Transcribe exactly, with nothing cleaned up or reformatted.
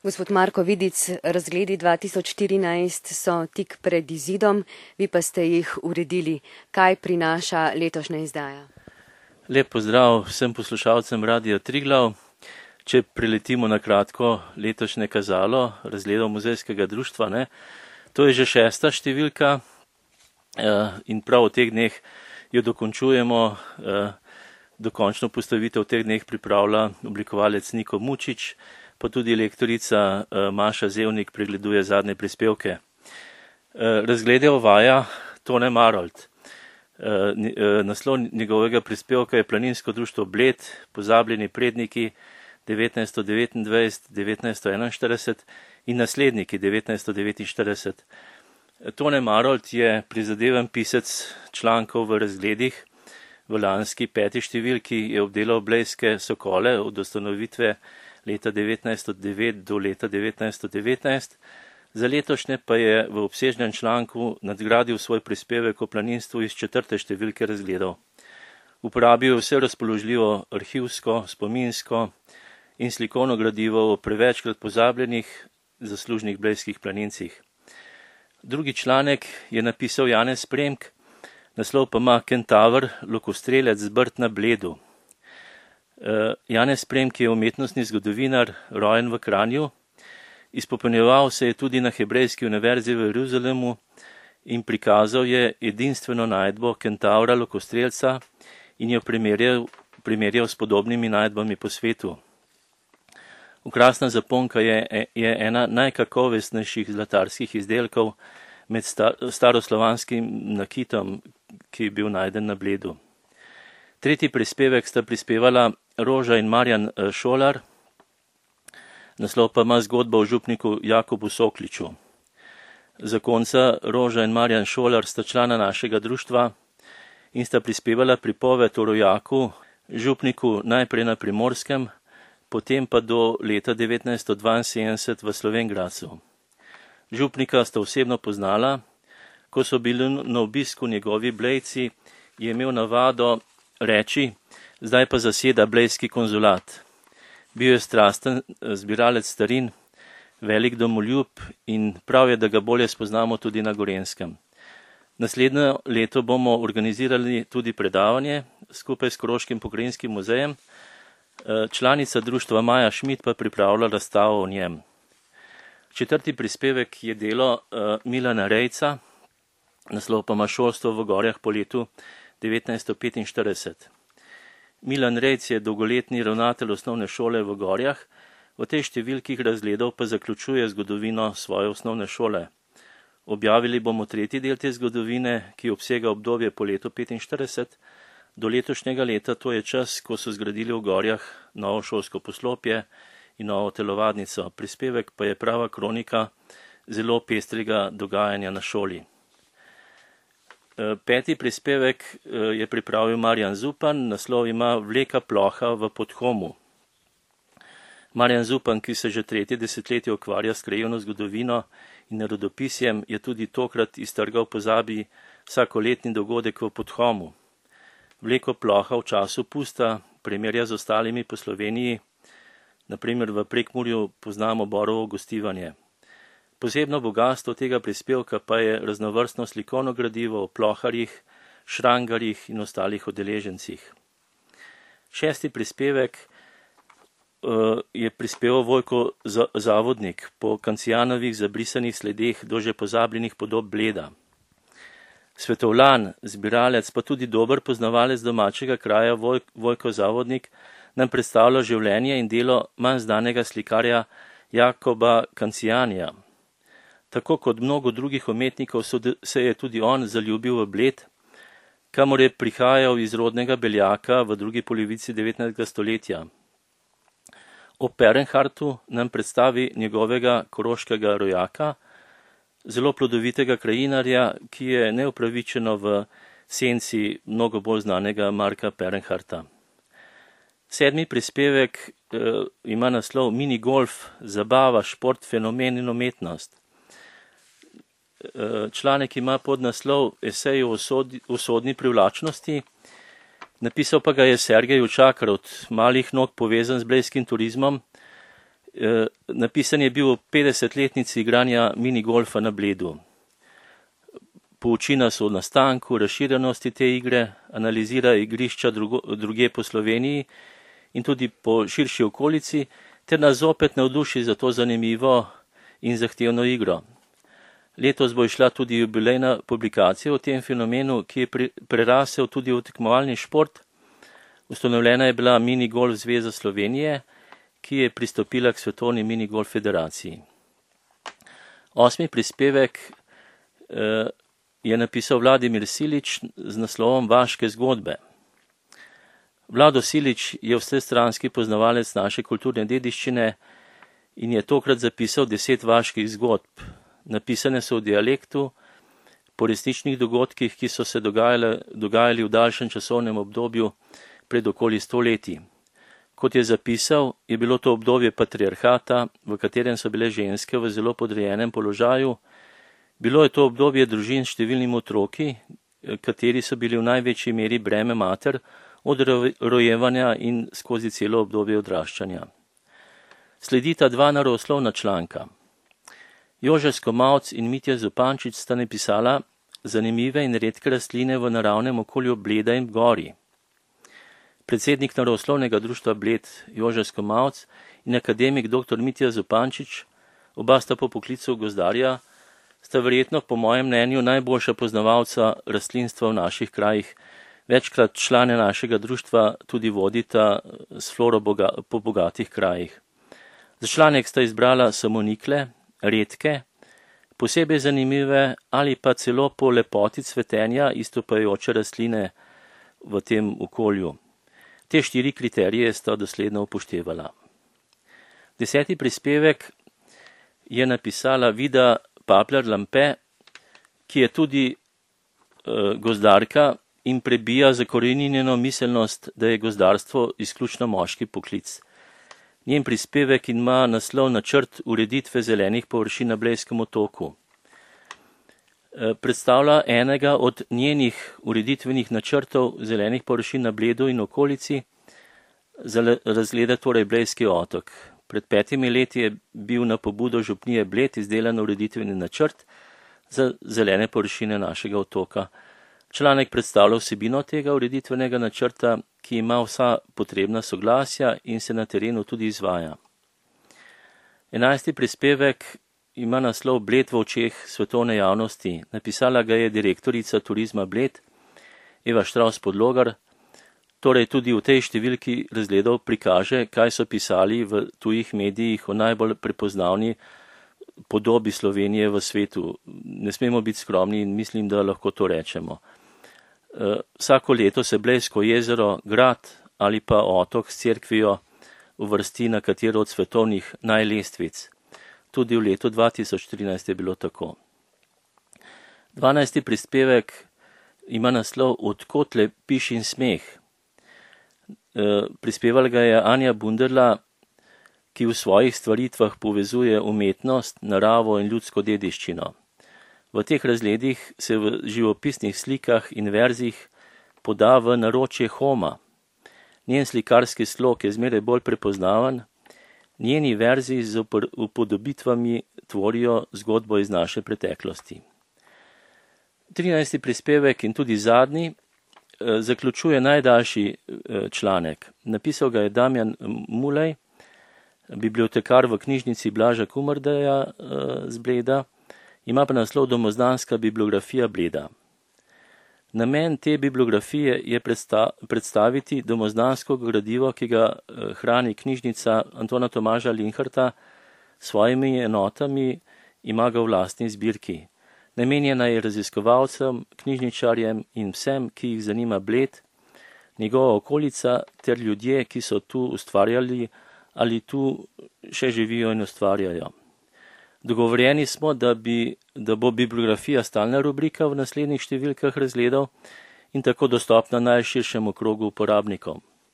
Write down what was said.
Gospod Marko Vidic, razgledi dva tisoč štirinajst so tik pred izidom, vi pa ste jih uredili. Kaj prinaša letošnja izdaja? Lep pozdrav vsem poslušalcem Radia Triglav. Če preletimo na kratko letošnje kazalo razgledov muzejskega društva, ne, to je že šesta številka in prav v teh dneh jo dokončujemo. Dokončno postavitev v teh dneh pripravlja oblikovalec Niko Mučič, pa tudi lektorica Maša Zevnik pregleduje zadnje prispevke. Razglede uvaja Tone Marolt. Naslov njegovega prispevka je Planinsko društvo Bled, pozabljeni predniki devetnajststo devetindvajset do devetnajststo enainštirideset in nasledniki devetnajststo devetinštirideset. Tone Marolt je prizadeven pisec člankov v razgledih. V lanski peti številki je obdelal blejske sokole od ustanovitve leta devetnajststo devet do leta devetnajststo devetnajst, za letošnje pa je v obsežnem članku nadgradil svoj prispevek o planinstvu iz četrte številke razgledov. Uporabil je vse razpoložljivo arhivsko, spominsko in slikovno gradivo o prevečkrat pozabljenih zaslužnih blejskih planincih. Drugi članek je napisal Janez Premk, naslov pa ima Kentaver, lokostrelec zbrt na Bledu. Janez Premk je umetnostni zgodovinar, rojen v Kranju, izpopolnjeval se je tudi na Hebrejski univerzi v Jeruzalemu in prikazal je edinstveno najdbo Kentavra lokostrelca in jo primerjal, primerjal s podobnimi najdbami po svetu. Okrasna zaponka je, je ena najkakovostnejših zlatarskih izdelkov med star, staroslovanskim nakitom, ki je bil najden na Bledu. Tretji prispevek sta prispevala Roža in Marjan Šolar, naslov pa ima zgodba o župniku Jakobu Sokliču. Zakonca Roža in Marjan Šolar sta člana našega društva in sta prispevala pripoved o rojaku, župniku najprej na Primorskem, potem pa do leta devetnajststo dvainsedemdeset v Slovenj Gradcu. Župnika sta osebno poznala, ko so bili na obisku njegovi Blejci, je imel navado reči, zdaj pa zaseda blejski konzulat. Bil je strasten zbiralec starin, velik domoljub in prav je, da ga bolje spoznamo tudi na Gorenjskem. Naslednje leto bomo organizirali tudi predavanje skupaj s Koroškim pokrajinskim muzejem. Članica društva Maja Šmit pa pripravlja razstavo o njem. Četrti prispevek je delo Milana Rejca, naslov pa ima Šolstvo v gorjah po letu devetnajststo petinštirideset. Milan Rejc je dolgoletni ravnatelj osnovne šole v Gorjah, v tej številki razgledov pa zaključuje zgodovino svoje osnovne šole. Objavili bomo tretji del te zgodovine, ki obsega obdobje po letu petinštirideset. Do letošnjega leta, to je čas, ko so zgradili v Gorjah novo šolsko poslopje in novo telovadnico. Prispevek pa je prava kronika zelo pestrega dogajanja na šoli. Peti prispevek je pripravil Marjan Zupan, naslov ima Vleka ploha v Podhomu. Marjan Zupan, ki se že tretje desetletje ukvarja s krajevno zgodovino in narodopisjem, je tudi tokrat iztrgal pozabi vsakoletni dogodek v Podhomu. Vleko ploha v času pusta primerja z ostalimi po Sloveniji, naprimer v Prekmurju poznamo Borovo gostivanje. Posebno bogatstvo tega prispevka pa je raznovrstno slikovno gradivo o ploharjih, šrangarjih in ostalih udeležencih. Šesti prispevek uh, je prispeval Vojko Zavodnik po Kancijanovih zabrisanih sledeh do že pozabljenih podob Bleda. Svetovlan, zbiralec, pa tudi dober poznavalec domačega kraja Voj, Vojko Zavodnik nam predstavlja življenje in delo manj znanega slikarja Jakoba Kancijanja. Tako kot mnogo drugih umetnikov se je tudi on zaljubil v Bled, kamor je prihajal iz rodnega Beljaka v drugi polovici devetnajstega stoletja. O Perenhartu nam predstavi njegovega koroškega rojaka, zelo plodovitega krajinarja, ki je neupravičeno v senci mnogo bolj znanega Marka Perenharta. Sedmi prispevek eh, ima naslov Mini golf, zabava, šport, fenomen in umetnost. Članek ima podnaslov Esej o usodni privlačnosti, napisal pa ga je Sergej Učakar, od malih nog povezan z blejskim turizmom Napisan je bil v petdesetletnici igranja minigolfa na Bledu. Pouči nas o nastanku, razširjenosti te igre, analizira igrišča drugo, druge po Sloveniji in tudi po širši okolici, ter nas zopet navduši za to zanimivo in zahtevno igro. Letos bo išla tudi jubilejna publikacija o tem fenomenu, ki je prerasel tudi v tekmovalni šport. Ustanovljena je bila Minigolf zveza Slovenije, ki je pristopila k Svetovni minigolf federaciji. Osmi prispevek eh, je napisal Vladimir Silič z naslovom Vaške zgodbe. Vlado Silič je vsestranski poznavalec naše kulturne dediščine in je tokrat zapisal deset vaških zgodb. Napisane so v dialektu, po resničnih dogodkih, ki so se dogajali, dogajali v daljšem časovnem obdobju pred okoli sto leti. Kot je zapisal, je bilo to obdobje patriarhata, v katerem so bile ženske v zelo podrejenem položaju. Bilo je to obdobje družin s številnimi otroki, kateri so bili v največji meri breme mater od rojevanja in skozi celo obdobje odraščanja. Sledita dva naroslovna članka. Jože Skomavc in Mitja Zupančič sta napisala zanimive in redke rastline v naravnem okolju Bleda in gori. Predsednik naroslovnega društva Bled Jože Skomavc in akademik dr. Mitja Zupančič, oba sta po poklicu gozdarja, sta verjetno po mojem mnenju najboljša poznavalca rastlinstva v naših krajih. Večkrat člane našega društva tudi vodita s floro boga, po bogatih krajih. Za članek sta izbrala samonikle, redke, posebej zanimive ali pa celo po lepoti cvetenja istopajoče rastline v tem okolju. Te štiri kriterije sta dosledno upoštevala. Deseti prispevek je napisala Vida Papler-Lampe, ki je tudi uh, gozdarka in prebija zakoreninjeno miselnost, da je gozdarstvo izključno moški poklic. Njen prispevek ima naslov Načrt ureditve zelenih površin na Blejskem otoku. Predstavlja enega od njenih ureditvenih načrtov zelenih površin na Bledu in okolici, razgleda torej Blejski otok. Pred petimi leti je bil na pobudo župnije Bled izdelan ureditveni načrt za zelene površine našega otoka. Članek predstavlja vsebino tega ureditvenega načrta, ki ima vsa potrebna soglasja in se na terenu tudi izvaja. Enajsti prispevek ima naslov Bled v očeh svetovne javnosti. Napisala ga je direktorica turizma Bled, Eva Štravs-Podlogar, torej tudi v tej številki razgledov prikaže, kaj so pisali v tujih medijih o najbolj prepoznavni podobi Slovenije v svetu. Ne smemo biti skromni in mislim, da lahko to rečemo. Vsako leto se Blejsko jezero, grad ali pa otok s cerkvijo uvrsti na katero od svetovnih najlestvic. Tudi v letu dva tisoč trinajst je bilo tako. Dvanajsti prispevek ima naslov Od kotle piš in smeh. Prispevala ga je Anja Bunderla, ki v svojih stvaritvah povezuje umetnost, naravo in ljudsko dediščino. V teh razgledih se v živopisnih slikah in verzih poda v naročje Homa. Njen slikarski slog je zmeraj bolj prepoznaven, njeni verzi z upodobitvami tvorijo zgodbo iz naše preteklosti. trinajsti prispevek in tudi zadnji zaključuje najdaljši članek. Napisal ga je Damjan Mulej, bibliotekar v knjižnici Blaža Kumardeja z Bleda, ima pa naslov Domozdanska bibliografija Bleda. Namen te bibliografije je predstaviti domozdansko gradivo, ki ga hrani knjižnica Antona Tomaža Linharta s svojimi enotami, ima ga v lastni zbirki. Namenjena je raziskovalcem, knjižničarjem in vsem, ki jih zanima Bled, njegova okolica ter ljudje, ki so tu ustvarjali ali tu še živijo in ustvarjajo. Dogovorjeni smo, da, bi, da bo bibliografija stalna rubrika v naslednjih številkah razgledov in tako dostopna najširšemu krogu uporabnikov.